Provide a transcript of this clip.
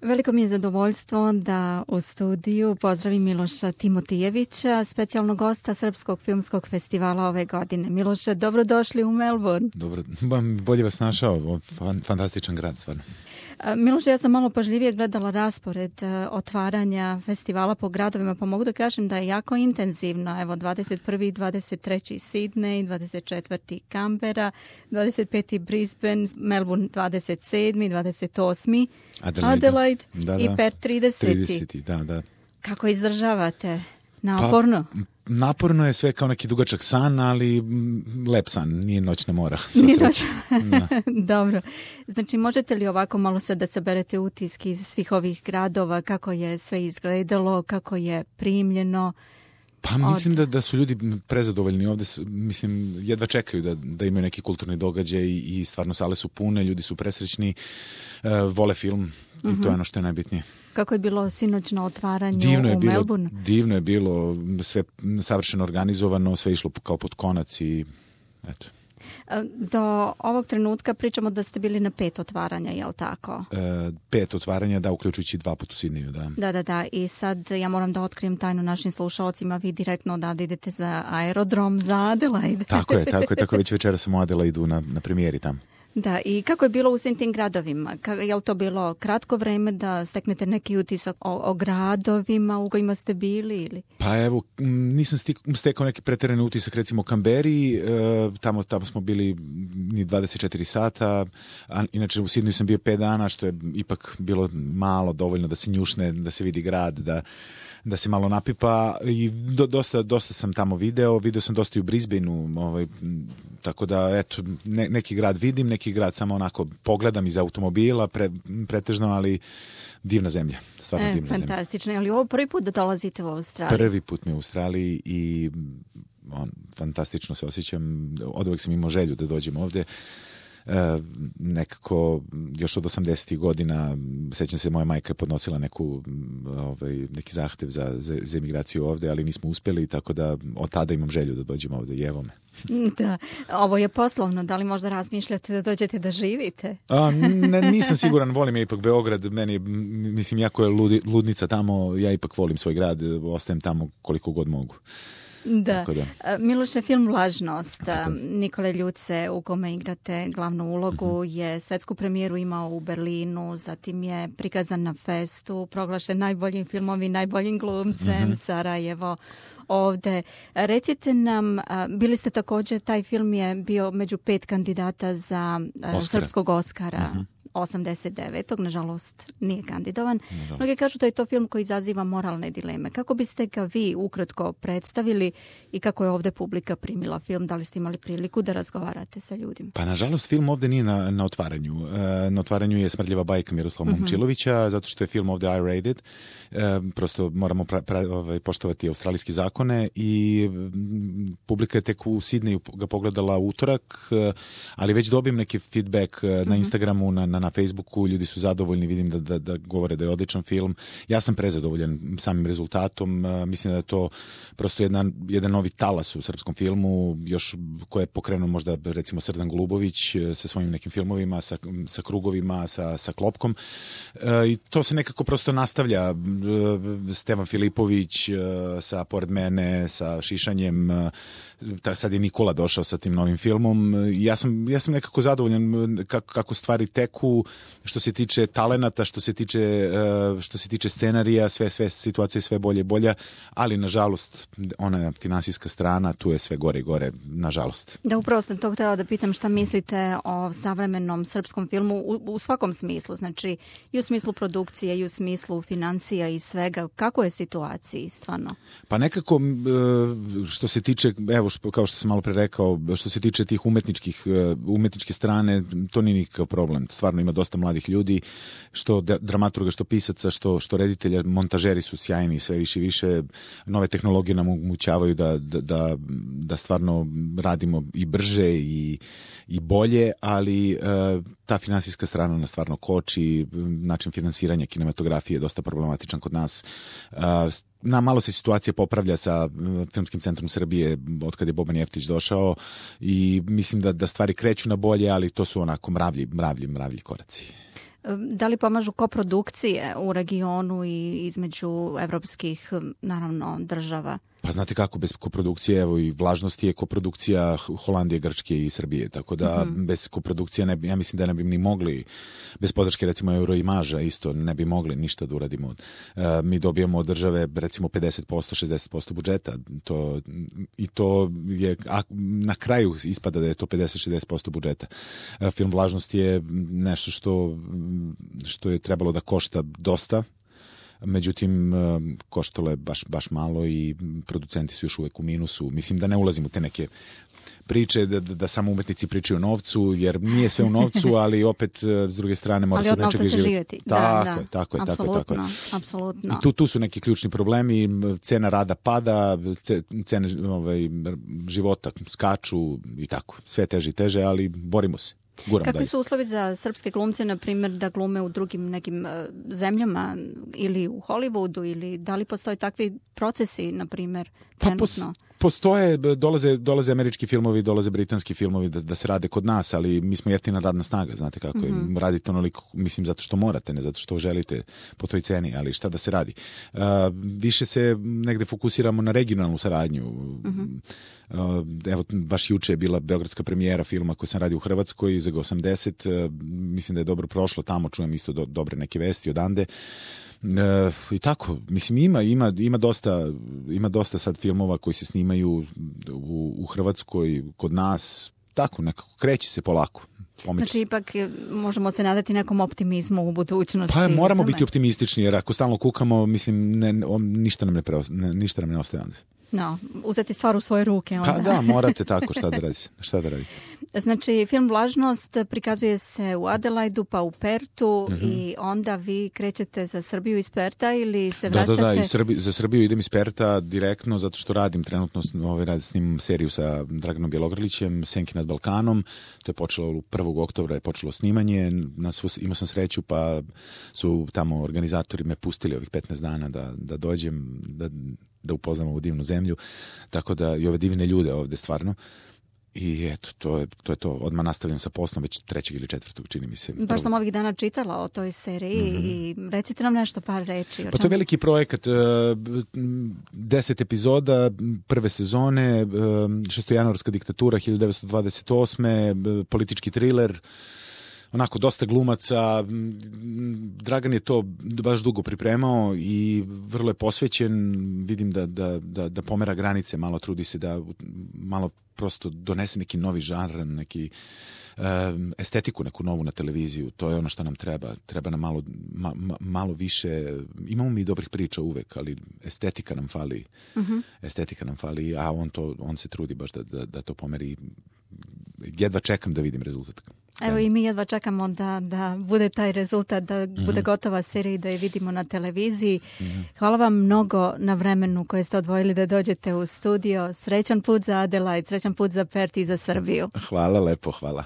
Veliko mi je zadovoljstvo da u studiju pozdravim Miloša Timotijevića, specijalnog gosta Srpskog filmskog festivala ove godine. Miloše, dobrodošli u Melbourne. Dobro, bolje vas našao, fantastičan grad, stvarno. Miloše, ja sam malo pažljivije gledala raspored otvaranja festivala po gradovima, pa mogu da kažem da je jako intenzivno. Evo, 21. i 23. Sydney, 24. Canberra, 25. Brisbane, Melbourne 27. 28. Adelaide i Perth 30. Da. Kako izdržavate? Naporno? Pa, naporno je sve kao neki dugačak san, ali lep san, nije noćna mora. Dobro. Znači, možete li ovako malo sad da saberete utiske iz svih ovih gradova, kako je sve izgledalo, kako je primljeno? Pa mislim da su ljudi prezadovoljni ovde, mislim, jedva čekaju da imaju neki kulturni događaj i stvarno sale su pune, ljudi su presrećni, vole film i to je ono što je najbitnije. Kako je bilo sinoćno otvaranje u Melbourne? Divno je bilo, sve savršeno organizovano, sve išlo kao pod konac i eto. Do ovog trenutka pričamo da ste bili na 5 otvaranja, je li tako? 5 otvaranja, da, uključujući 2 puta u Sidneju, da. Da. I sad ja moram da otkrijem tajnu našim slušalcima. Vi direktno odavde idete za aerodrom, za Adelaide. Tako je. Već večera sam u Adelaidu na premijeri tamo. Da, i kako je bilo u svim tim gradovima? Je li to bilo kratko vreme da steknete neki utisak o gradovima u kojima ste bili? Ili? Pa evo, nisam stekao neki preterani utisak, recimo u Kamberi, tamo smo bili ni 24 sata, a inače u Sidneju sam bio 5 dana, što je ipak bilo malo dovoljno da se njušne, da se vidi grad, da se malo napipa i dosta sam tamo video sam dosta i u Brisbaneu, tako da eto, neki grad vidim, neki grad samo onako pogledam iz automobila, pretežno, ali divna zemlja, stvarno divna zemlja. Fantastično, ali ovo prvi put da dolazite u Australiju? Prvi put mi u Australiji i fantastično se osjećam, oduvek sam imao želju da dođem ovde. Nekako još od 80. godina sećam se, moja majka je podnosila neki zahtev za emigraciju ovde, ali nismo uspeli, tako da od tada imam želju da dođem ovde i evo me. Da, ovo je poslovno, da li možda razmišljate da dođete da živite? Nisam siguran, volim ja ipak Beograd, meni mislim jako je ludnica tamo, ja ipak volim svoj grad, ostajem tamo koliko god mogu. Da. Miloše, film Vlažnost Nikole Ljuce, u kome igrate glavnu ulogu, je svetsku premijeru imao u Berlinu, zatim je prikazan na Festu, proglašen najboljim filmom i najboljim glumcem, Sarajevo ovde. Recite nam, bili ste također, taj film je bio među 5 kandidata za srpskog Oskara. 89. Nažalost nije kandidovan. Mnogi kažu da je to film koji izaziva moralne dileme. Kako biste ga vi ukratko predstavili i kako je ovde publika primila film? Da li ste imali priliku da razgovarate sa ljudima? Pa nažalost film ovde nije na otvaranju. Na otvaranju je Smrdljiva bajka Miroslava Momčilovića, zato što je film ovde I-rated. Prosto moramo poštovati australijske zakone i publika je tek u Sidneju ga pogledala utorak, ali već dobijem neki feedback na Instagramu, na Facebooku, ljudi su zadovoljni, vidim da govore da je odličan film. Ja sam prezadovoljan samim rezultatom, mislim da je to prosto jedan novi talas u srpskom filmu, još koje je pokrenuo možda recimo Srdan Golubović sa svojim nekim filmovima, sa Krugovima, sa Klopkom, i to se nekako prosto nastavlja. Stevan Filipović sa Pored mene, sa Šišanjem, sad je Nikola došao sa tim novim filmom. Ja sam nekako zadovoljan kako stvari teku, što se tiče talenata, što se tiče scenarija, sve situacije sve bolje i bolja, ali nažalost ona finansijska strana, tu je sve gore i gore, nažalost. Da, upravo sam to htjela da pitam šta mislite o savremenom srpskom filmu u svakom smislu, znači i u smislu produkcije, i u smislu financija i svega. Kako je situaciji stvarno? Pa nekako što se tiče, evo kao što sam malo pre rekao, što se tiče tih umetničke strane, to nije nikakav problem. Stvarno ima dosta mladih ljudi, što dramaturga, što pisaca, što reditelja, montažeri su sjajni, sve više i više. Nove tehnologije nam omogućavaju da stvarno radimo i brže i bolje, ali ta finansijska strana nas stvarno koči, način finansiranja kinematografije je dosta problematičan kod nas. Malo se situacija popravlja sa Filmskim centrom Srbije od kad je Boban Jeftić došao i mislim da stvari kreću na bolje, ali to su onako mravlji koraci. Da li pomažu koprodukcije u regionu i između evropskih, naravno, država? Pa znate kako, bez koprodukcije, evo i Vlažnost je koprodukcija Holandije, Grčke i Srbije, tako da bez koprodukcije ja mislim da ne bi ni mogli, bez podrške recimo Euroimaža isto ne bi mogli ništa da uradimo. Mi dobijamo od države recimo 50%, 60% budžeta, to je, a na kraju ispada da je to 50-60% budžeta. Film Vlažnost je nešto što je trebalo da košta dosta, međutim, koštalo je baš malo i producenti su još uvek u minusu. Mislim da ne ulazim u te neke priče, da samo umetnici pričaju o novcu, jer nije sve u novcu, ali opet, s druge strane, mora se od nečega živjeti. Tako je. Apsolutno. I tu su neki ključni problemi, cena rada pada, cene života skaču i tako. Sve teže i teže, ali borimo se. Kakvi su uslovi za srpske glumce, na primjer, da glume u drugim nekim zemljama ili u Hollywoodu, ili da li postoje takvi procesi, na primjer, trenutno? Postoje, dolaze američki filmovi, dolaze britanski filmovi da se rade kod nas, ali mi smo jeftina radna snaga, znate kako je. Radite onoliko, mislim, zato što morate, ne zato što želite po toj ceni, ali šta da se radi. Više se negde fokusiramo na regionalnu saradnju. Evo, baš juče je bila beogradska premijera filma koji sam radio u Hrvatskoj za G80, mislim da je dobro prošlo tamo, čujem isto dobre neke vesti odande. I tako, mislim, ima dosta sad filmova koji se snimaju u Hrvatskoj, kod nas, tako nekako kreće se polako. Znači, ipak možemo se nadati nekom optimizmu u budućnosti. Pa moramo biti optimistični, jer ako stalno kukamo, mislim, ništa nam ne ostaje onda. No, uzeti stvar u svoje ruke onda. Pa da, morate tako, šta da radite. Znači, film Vlažnost prikazuje se u Adelaidu, pa u Pertu i onda vi krećete za Srbiju iz Perta ili se vraćate? Da, za Srbiju idem iz Perta direktno, zato što radim trenutno, snimam seriju sa Draganom Bjelogrlićem, Senke nad Balkanom, to je počelo 1. oktobra je počelo snimanje, imao sam sreću pa su tamo organizatori me pustili ovih 15 dana da dođem, da upoznam ovu divnu zemlju, tako da i ove divne ljude ovde stvarno. I eto, to je to. Odmah nastavljam sa poslom već 3. ili 4. čini mi se. Baš sam ovih dana čitala o toj seriji i recite nam nešto, par reči. Pa to je veliki projekat, 10 epizoda, prve sezone, šestojanuarska diktatura 1928. Politički triler, onako dosta glumaca. Dragan je to baš dugo pripremao i vrlo je posvećen. Vidim da pomera granice, malo trudi se da malo prosto donese neki novi žanr, neki estetiku neku novu na televiziju. To je ono što nam treba. Treba nam malo više. Imamo mi dobrih priča uvek, ali estetika nam fali. Estetika nam fali, a on se trudi baš da to pomeri. Jedva čekam da vidim rezultat. Evo i mi jedva čekamo da bude taj rezultat, da bude gotova serija i da je vidimo na televiziji. Hvala vam mnogo na vremenu koje ste odvojili da dođete u studio. Srećan put za Adelaide, srećan put za Pert i za Srbiju. Hvala lepo, hvala.